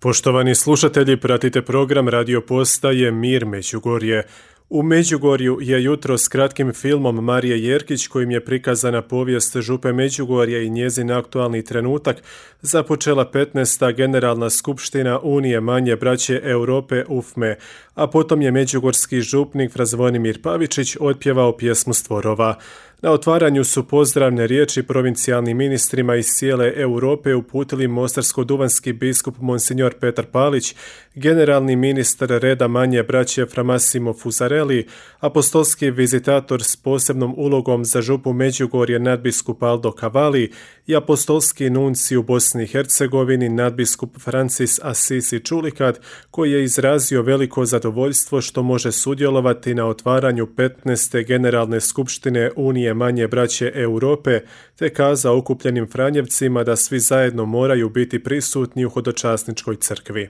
Poštovani slušatelji, pratite program radio postaje Mir Međugorje. U Međugorju je jutro s kratkim filmom Marije Jerkić, kojim je prikazana povijest Župe Međugorje i njezin aktualni trenutak, započela 15. Generalna skupština Unije manje braće Europe UFME, a potom je međugorski župnik Fra Zvonimir Pavičić otpjevao pjesmu Stvorova. Na otvaranju su pozdravne riječi provincijalnim ministrima iz cijele Europe uputili mostarsko-duvanski biskup Monsignor Petar Palić, generalni ministar reda manje braće Fra Massimo Fusarelli, apostolski vizitator s posebnom ulogom za Župu Međugorje nadbiskup Aldo Cavalli i apostolski nunci u Bosni i Hercegovini nadbiskup Francis Assisi Čulikat, koji je izrazio veliko zadovoljstvo što može sudjelovati na otvaranju 15. Generalne skupštine Unije manje braće Europe, te kazao okupljenim Franjevcima da svi zajedno moraju biti prisutni u hodočasničkoj crkvi.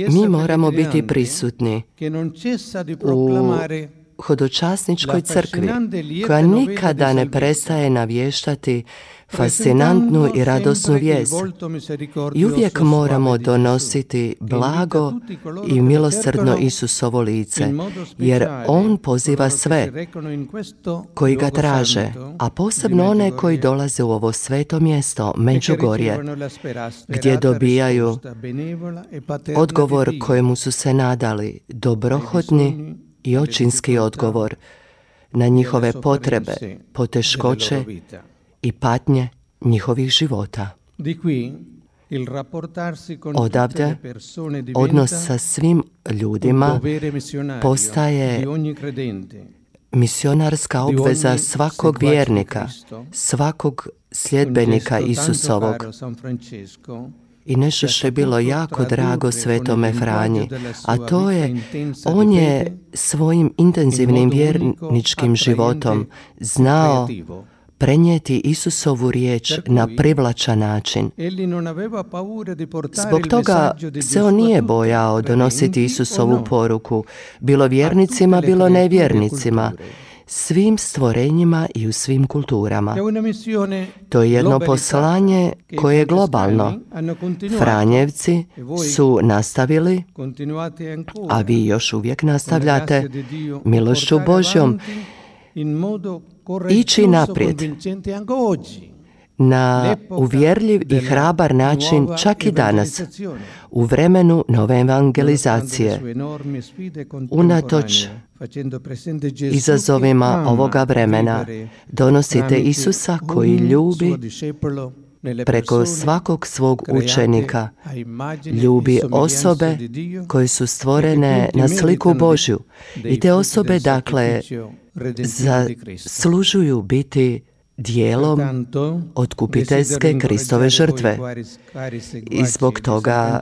Mi moramo biti prisutni u hodočasničkoj crkvi, koja nikada ne prestaje navještati fascinantnu i radosnu vijest. I uvijek moramo donositi blago i milosrdno Isusovo lice, jer On poziva sve koji ga traže, a posebno one koji dolaze u ovo sveto mjesto, Međugorje, gdje dobijaju odgovor kojemu su se nadali, dobrohotni i očinski odgovor na njihove potrebe, poteškoće i patnje njihovih života. Odavde odnos sa svim ljudima postaje misionarska obveza svakog vjernika, svakog sljedbenika Isusovog. I nešto što je bilo jako drago Svetome Franji, a to je, on je svojim intenzivnim vjerničkim životom znao prenijeti Isusovu riječ na privlačan način. Zbog toga se on nije bojao donositi Isusovu poruku, bilo vjernicima, bilo nevjernicima, svim stvorenjima i u svim kulturama. To je jedno poslanje koje je globalno. Franjevci su nastavili, a vi još uvijek nastavljate, milošću Božjom, ići naprijed na uvjerljiv i hrabar način čak i danas, u vremenu nove evangelizacije. Unatoč izazovima ovoga vremena, donosite Isusa koji ljubi preko svakog svog učenika, ljubi osobe koje su stvorene na sliku Božju. I te osobe, dakle, zaslužuju biti dijelom otkupiteljske Kristove žrtve. I zbog toga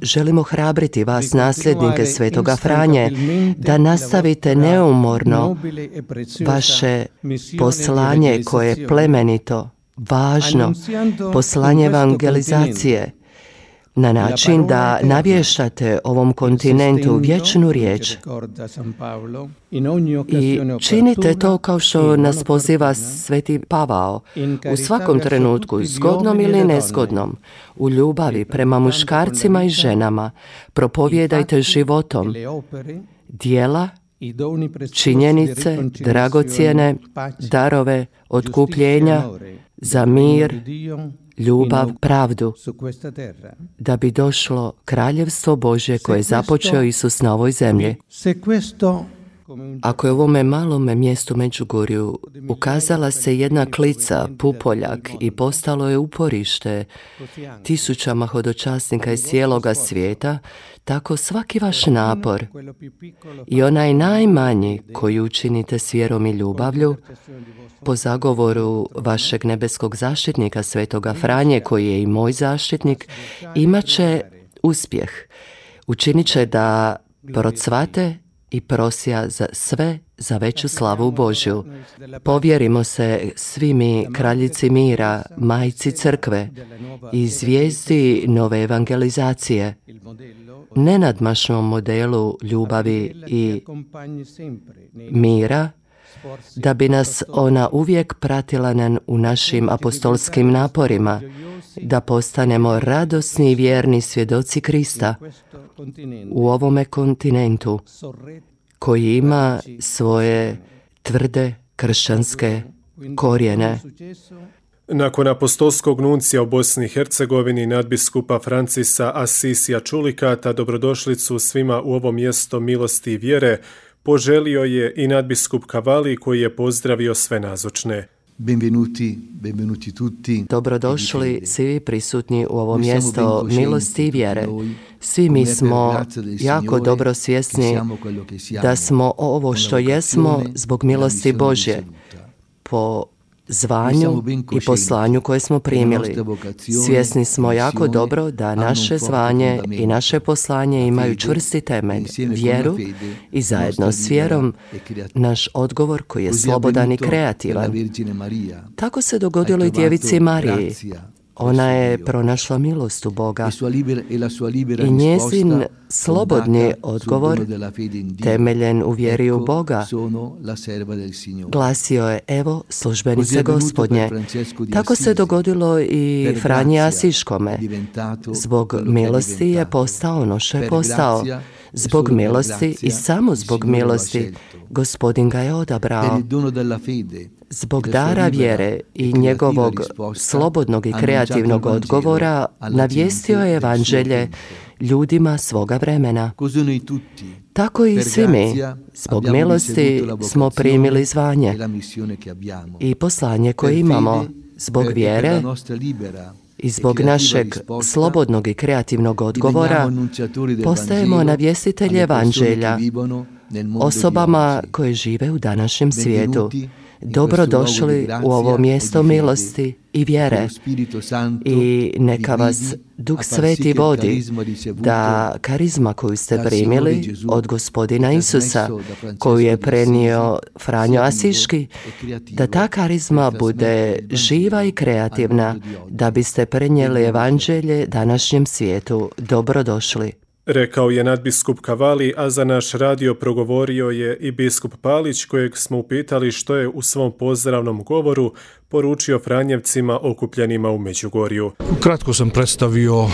želimo hrabriti vas, nasljednike Svetoga Franje, da nastavite neumorno vaše poslanje koje je plemenito, važno, poslanje evangelizacije, na način da navještate ovom kontinentu vječnu riječ. I činite to kao što nas poziva Sveti Pavao, u svakom trenutku, zgodnom ili nezgodnom, u ljubavi prema muškarcima i ženama, propovijedajte životom djela, činjenice, dragocjene darove otkupljenja za mir, ljubav, pravdu, da bi došlo kraljevstvo Božje koje je započeo Isus na ovoj zemlji. Ako je u ovome malome mjestu Međugorju ukazala se jedna klica, pupoljak, i postalo je uporište tisućama hodočasnika iz cijeloga svijeta, tako svaki vaš napor i onaj najmanji koji učinite s vjerom i ljubavlju, po zagovoru vašeg nebeskog zaštitnika Svetoga Franje, koji je i moj zaštitnik, imat će uspjeh. Učinit će da procvate i prosja za sve za veću slavu Božju. Povjerimo se svi mi kraljici mira, majci crkve i zvijezdi nove evangelizacije, nenadmašnom modelu ljubavi i mira, da bi nas ona uvijek pratila u našim apostolskim naporima, da postanemo radosni i vjerni svjedoci Krista u ovome kontinentu koji ima svoje tvrde kršćanske korijene. Nakon apostolskog nuncija u Bosni i Hercegovini, nadbiskupa Francisa Asisija Čulikata, dobrodošlicu svima u ovo mjesto milosti i vjere poželio je i nadbiskup Cavalli, koji je pozdravio sve nazočne. Benvenuti tutti. Dobrodošli svi prisutni u ovo mjesto milosti i vjere. Svi mi smo jako dobro svjesni da smo ovo što jesmo zbog milosti Božje, po zvanju i poslanju koje smo primili. Svjesni smo jako dobro da naše zvanje i naše poslanje imaju čvrsti temelj, vjeru, i zajedno s vjerom naš odgovor koji je slobodan i kreativan. Tako se dogodilo i djevici Mariji. Ona je pronašla milost u Boga i njezin slobodni odgovor, temeljen u vjeri u Boga, glasio je: evo službenice Gospodnje. Tako se dogodilo i Franji Asiškome. Zbog milosti je postao ono što je postao. Zbog milosti i samo zbog milosti Gospodin ga je odabrao. Zbog dara vjere i njegovog slobodnog i kreativnog odgovora navijestio je evanđelje ljudima svoga vremena. Tako i svi mi, zbog milosti, smo primili zvanje i poslanje koje imamo. Zbog vjere i zbog našeg slobodnog i kreativnog odgovora postajemo navjestitelji evanđelja osobama koje žive u današnjem svijetu. Dobrodošli u ovo mjesto milosti i vjere i neka vas Duh Sveti vodi da karizma koju ste primili od Gospodina Isusa, koju je prenio Franjo Asiški, da ta karizma bude živa i kreativna, da biste prenijeli evanđelje današnjem svijetu. Dobrodošli. Rekao je nadbiskup Cavalli, a za naš radio progovorio je i biskup Palić, kojeg smo upitali što je u svom pozdravnom govoru poručio Franjevcima okupljenima u Međugorju. Kratko sam predstavio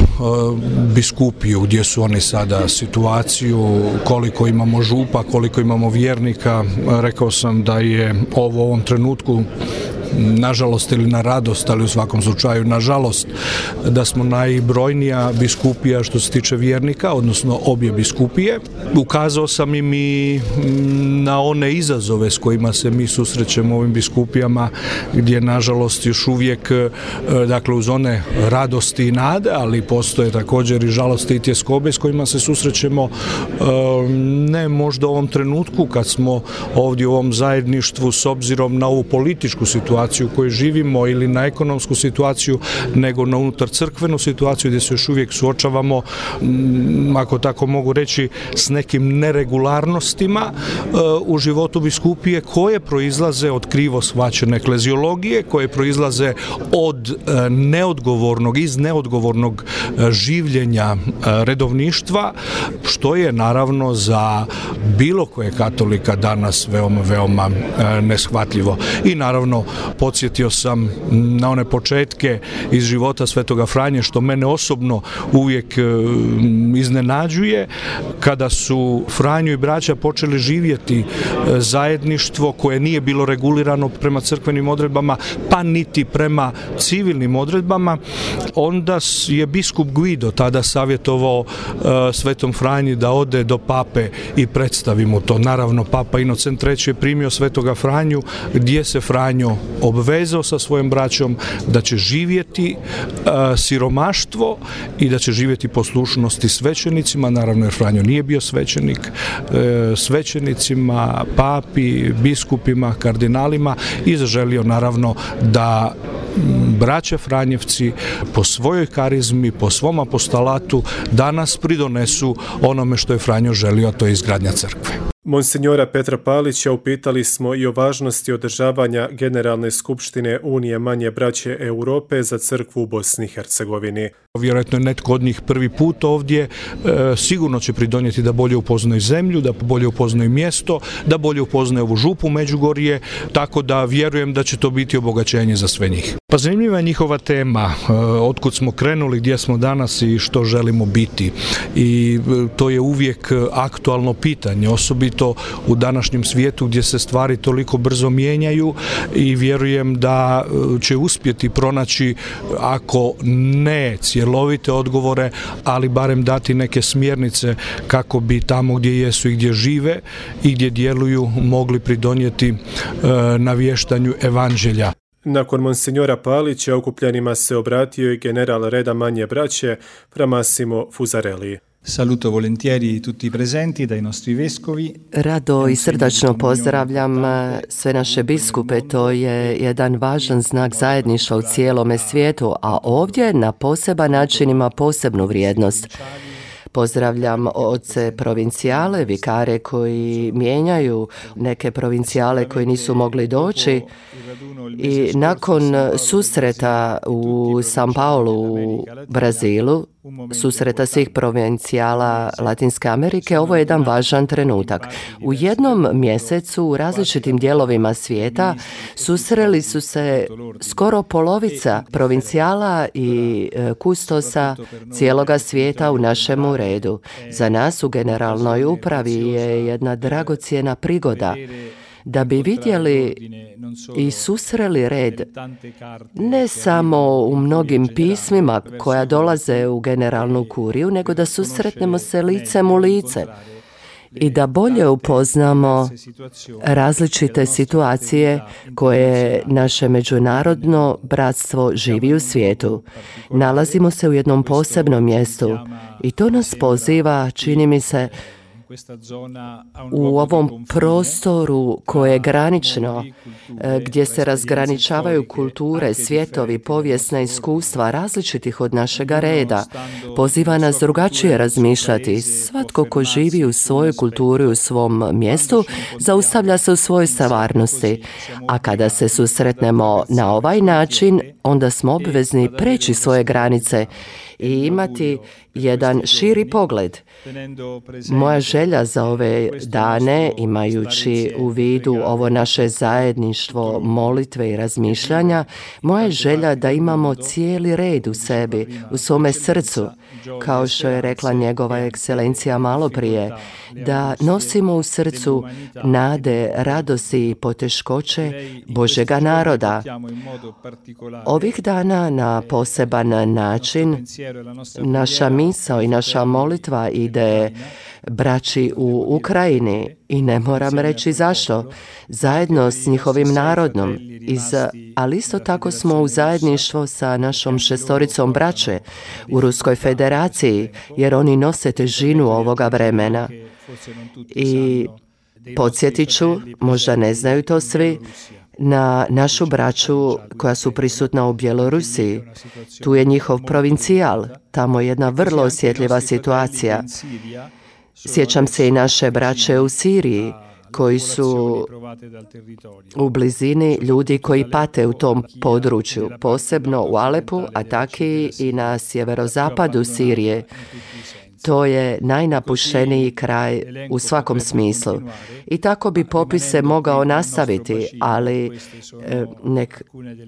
biskupiju, gdje su oni sada, situaciju, koliko imamo župa, koliko imamo vjernika. Rekao sam da je ovo u ovom trenutku, nažalost ili na radost, ali u svakom slučaju nažalost, da smo najbrojnija biskupija što se tiče vjernika, odnosno obje biskupije. Ukazao sam im i na one izazove s kojima se mi susrećemo u ovim biskupijama, gdje nažalost još uvijek, dakle uz one radosti i nade, ali postoje također i žalosti i tjeskobe s kojima se susrećemo, ne možda u ovom trenutku kad smo ovdje u ovom zajedništvu s obzirom na ovu političku situaciju u kojoj živimo ili na ekonomsku situaciju, nego na unutar crkvenu situaciju gdje se još uvijek suočavamo, ako tako mogu reći, s nekim neregularnostima u životu biskupije koje proizlaze od krivo shvaćene ekleziologije, koje proizlaze od neodgovornog življenja redovništva, što je naravno za bilo koje katolika danas veoma neshvatljivo. I naravno podsjetio sam na one početke iz života Svetoga Franje, što mene osobno uvijek iznenađuje, kada su Franjo i braća počeli živjeti zajedništvo koje nije bilo regulirano prema crkvenim odredbama, pa niti prema civilnim odredbama. Onda je biskup Guido tada savjetovao Svetom Franji da ode do pape i predstavi mu to. Naravno, papa Inocent III je primio Svetoga Franju, gdje se Franjo obvezao sa svojom braćom da će živjeti siromaštvo i da će živjeti poslušnosti svećenicima. Naravno, jer Franjo nije bio svećenik, svećenicima, papi, biskupima, kardinalima, i zaželio naravno da braća Franjevci po svojoj karizmi, po svom apostolatu danas pridonesu onome što je Franjo želio, a to je izgradnja crkve. Monsignora Petra Palića upitali smo i o važnosti održavanja Generalne skupštine Unije manje braće Europe za crkvu u Bosni i Hercegovini. Vjerojatno je netko od njih prvi put ovdje, sigurno će pridonijeti da bolje upoznaju zemlju, da bolje upoznaju mjesto, da bolje upoznaju ovu župu Međugorje, tako da vjerujem da će to biti obogaćenje za sve njih. Pa zanimljiva je njihova tema, otkud smo krenuli, gdje smo danas i što želimo biti. I to je uvijek aktualno pitanje, osobito u današnjem svijetu gdje se stvari toliko brzo mijenjaju i vjerujem da će uspjeti pronaći, ako ne cjelovite odgovore, ali barem dati neke smjernice kako bi tamo gdje jesu i gdje žive i gdje djeluju mogli pridonijeti navještanju evanđelja. Nakon monsignora Palića okupljenima se obratio i general reda manje braće fra Massimo Fusarelli. Saluto volentieri tutti i presenti dai nostri vescovi. Rado i srdačno pozdravljam sve naše biskupe, to je jedan važan znak zajedništva u cijelome svijetu, a ovdje na poseban način ima posebnu vrijednost. Pozdravljam oce provincijale, vikare koji mijenjaju neke provincijale koji nisu mogli doći i nakon susreta u São Paulo u Brazilu, susreta svih provincijala Latinske Amerike, ovo je jedan važan trenutak. U jednom mjesecu u različitim dijelovima svijeta susreli su se skoro polovica provincijala i kustosa cijeloga svijeta u našemu redu. Za nas u generalnoj upravi je jedna dragocjena prigoda da bi vidjeli i susreli red ne samo u mnogim pismima koja dolaze u generalnu kuriju, nego da susretnemo se licem u lice i da bolje upoznamo različite situacije koje naše međunarodno bratstvo živi u svijetu. Nalazimo se u jednom posebnom mjestu i to nas poziva, čini mi se, u ovom prostoru koje je granično, gdje se razgraničavaju kulture, svjetovi, povijesna iskustva različitih od našega reda. Poziva nas drugačije razmišljati. Svatko ko živi u svojoj kulturi, u svom mjestu, zaustavlja se u svojoj stvarnosti. A kada se susretnemo na ovaj način, onda smo obvezni preći svoje granice i imati jedan širi pogled. Moja želja za ove dane, imajući u vidu ovo naše zajedništvo molitve i razmišljanja, moja je želja da imamo cijeli red u sebi, u svome srcu, kao što je rekla njegova ekscelencija malo prije, da nosimo u srcu nade, radosti i poteškoće Božjega naroda. Ovih dana na poseban način naša misao i naša molitva ide braći u Ukrajini i ne moram reći zašto, zajedno s njihovim narodom, ali isto tako smo u zajedništvo sa našom šestoricom braće u Ruskoj federaciji, jer oni nose težinu ovoga vremena. I podsjetit ću, možda ne znaju to svi, na našu braću koja su prisutna u Bjelorusiji. Tu je njihov provincijal, tamo je jedna vrlo osjetljiva situacija. Sjećam se i naše braće u Siriji, koji su u blizini ljudi koji pate u tom području, posebno u Alepu, a taki i na sjeverozapadu Sirije. To je najnapušteniji kraj u svakom smislu. I tako bi popis se mogao nastaviti, ali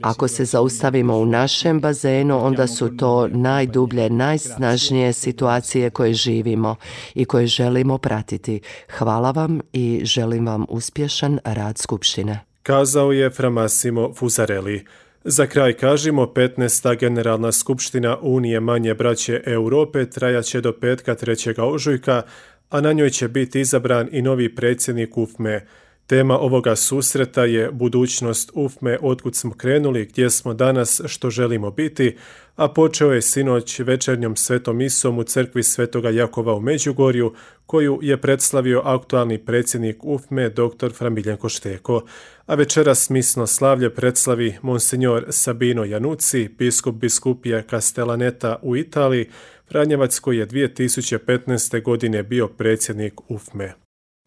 ako se zaustavimo u našem bazenu, onda su to najdublje, najsnažnije situacije koje živimo i koje želimo pratiti. Hvala vam i želim vam uspješan rad Skupštine. Kazao je fra Massimo Fusarelli. Za kraj kažimo, 15. Generalna skupština Unije manje braće Europe trajaće do petka 3. ožujka, a na njoj će biti izabran i novi predsjednik UFME. Tema ovoga susreta je budućnost UFME, otkud smo krenuli, gdje smo danas, što želimo biti, a počeo je sinoć večernjom svetom misom u crkvi Svetoga Jakova u Međugorju, koju je predstavio aktualni predsjednik UFME dr. fra Miljenko Šteko, a večeras misno slavlje predslavi monsignor Sabino Janucci, biskup biskupije Castellaneta u Italiji, Franjevac koji je 2015. godine bio predsjednik UFME.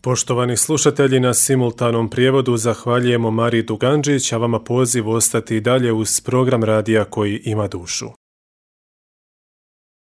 Poštovani slušatelji, na simultanom prijevodu zahvaljujemo Mariji Duganđić, a vama poziv ostati dalje uz program radija koji ima dušu.